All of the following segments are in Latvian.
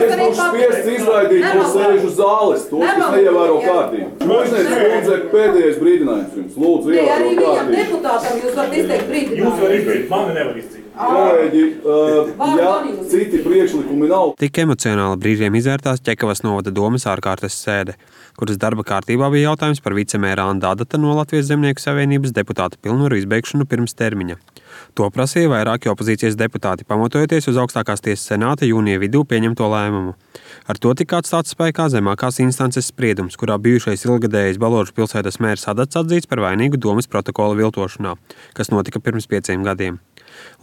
es būšu spiests izraidīt no sēžu zāles, tos, kas neievēro kārtību. Mužnieks kundze, pēdējais brīdinājums jums. Lūdzu, ievēro kārtību. Arī viņam deputātam jūs varat izteikt brīdinājumu. Jūs varat izteikt, mani nevar izteikt. Kolēģi, ja citi priekšlikumi nav. Tik emocionāli brīžiem izvērtās Ķekavas novada domes ārkārtas sēde, kuras darba kārtībā bija jautājums par vicemēra Anda Adata no Latvijas Zemnieku savienības deputāta pilnvaru izbeigšanu pirms termiņa. To prasīja vairāki opozīcijas deputāti, pamatojoties uz augstākās tiesas senāta jūnija vidū pieņemto lēmumu. Ar to tika atstāts spēkā zemākās instances spriedums, kurā bijušais ilgadējais Balodžu pilsētas mērs Adats atzīts par vainīgu domes protokola viltošanā, kas notika pirms 5 gadiem.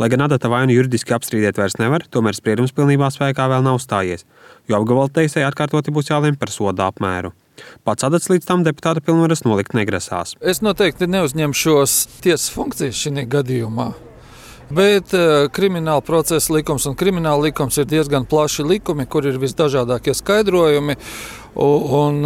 Lai gan Adata vainu juridiski apstrīdēt vairs nevar, tomēr spriedums pilnībā spēkā vēl nav stājies, jo apgabala tiesai atkārtoti būs jālem par soda apmēru. Pats Adats līdz tam deputāta pilnvaras nolikt negrasās. Es noteikti neuzņemšos tiesas funkcijas šī gadījumā. Bet krimināla procesa likums un krimināla likums ir diezgan plaši likumi, kur ir visdažādākie skaidrojumi. Un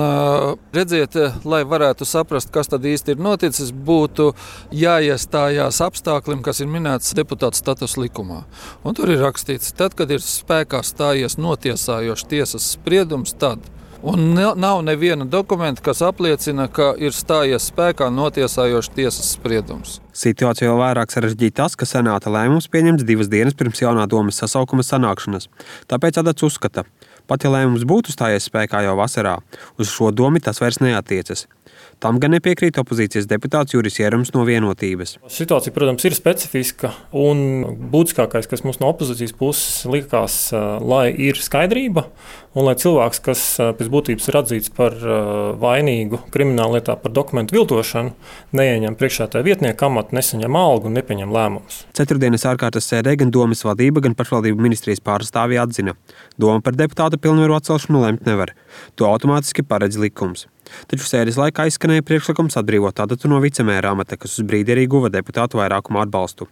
redziet, lai varētu saprast, kas tad īsti ir noticis, būtu jāiestājās apstākļiem, kas ir minēts deputāta status likumā. Un tur ir rakstīts, tad, kad ir spēkā stājies notiesājošs tiesas spriedums, tad. Un nav neviena dokumenta, kas apliecina, ka ir stājies spēkā notiesājošs tiesas spriedums. Situācija vēl vairāk sarežģīja tas, ka senāta lēmums pieņemts 2 dienas pirms jaunā domes sasaukuma sanākšanas. Tāpēc Adats uzskata, pat ja lēmums būtu stājies spēkā jau vasarā, uz šo domi tas vairs neatiecas. Tam gan nepiekrīt opozīcijas deputāts Juris Jērums no Vienotības. Situācija, protams, ir specifiska un būtiskākais, kas mums no opozīcijas puses likās, lai ir skaidrība un lai cilvēks, kas pēc būtības ir atzīts par vainīgu krimināllietā par dokumentu viltošanu, neieņem priekšsēdētāja vietnieka amatu, nesaņem algu un nepieņem lēmumus. Ceturtdienas ārkārtas sēdē gan domes vadība, gan pašvaldību ministrijas pārstāvji atzina, doma par deputāta pilnvaru atcelšanu lemt nevar. To automātiski paredz likums. Taču sēdes laikā izskanēja priekšlikums atbrīvot Adatu no vicemēra amata, kas uz brīdi arī guva deputātu vairākumu atbalstu.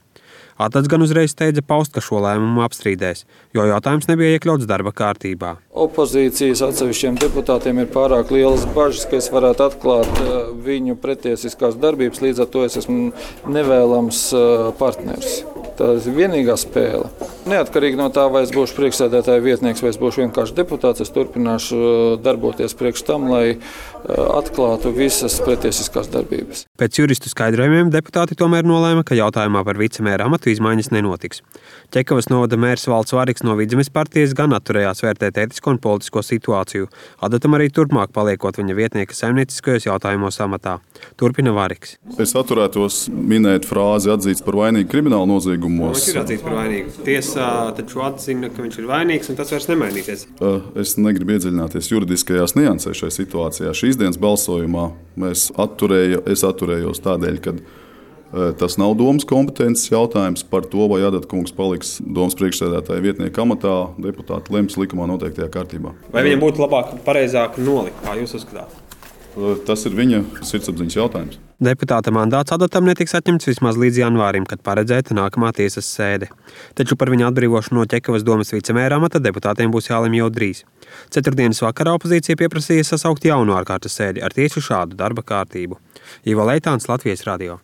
Adats gan uzreiz steidza paust, ka šo lēmumu apstrīdēs, jo jautājums nebija iekļauts darba kārtībā. Opozīcijas atsevišķiem deputātiem ir pārāk lielas bažas, ka es varētu atklāt viņu pretiesiskās darbības, līdz ar to es esmu nevēlams partners. Tā ir vienīgā spēle. Neatkarīgi no tā, vai es būšu priekšsēdētāja vietnieks, vai es būšu vienkārši deputāts, es turpināšu darboties priekš tam, lai atklātu visas pretiesiskās darbības. Pēc juristu skaidrojumiem deputāti tomēr nolēma, ka jautājumā par vicemēra amatu izmaiņas nenotiks. Ķekavas novada mērs Valds Variks no Vidzemes partijas gan atturējās vērtēt ētisko un politisko situāciju. Adatam arī turpmāk paliekot viņa vietnieka saimnieciskajos jautājumos amatā. Turpina Variks. Es atturētos minēt frāzi atzīts par vainīgu kriminālu noziegumos. Viņš ir atzīts par vainīgu. Tiesā taču atzina, ka viņš ir vainīgs un tas vairs nemainīsies. Es negribu iedziļināties juridiskajās niansēs šajā situācijā. Šīs dienas balsojumā es atturējos tādēļ, ka tas nav domas kompetences jautājums par to, vai Adata kungs paliks domas priekšsēdētāja vietnieka amatā, deputāti lems likumā noteiktajā kārtībā. Vai viņam būtu labāk, pareizāk nolikt, kā jūs uzskatāt? Tas ir viņa sirdsapziņas jautājums. Deputāta mandāts Adatam netiks atņemts vismaz līdz janvārim, kad paredzēta nākamā tiesas sēde. Taču par viņa atbrīvošanu no Ķekavas domes vicemēra amata deputātiem būs jālemj jau drīz. Ceturtdienas vakarā opozīcija pieprasīja sasaukt jaunu ārkārtas sēdi ar tieši šādu darba kārtību. Ivo Leitāns, Latvijas radio.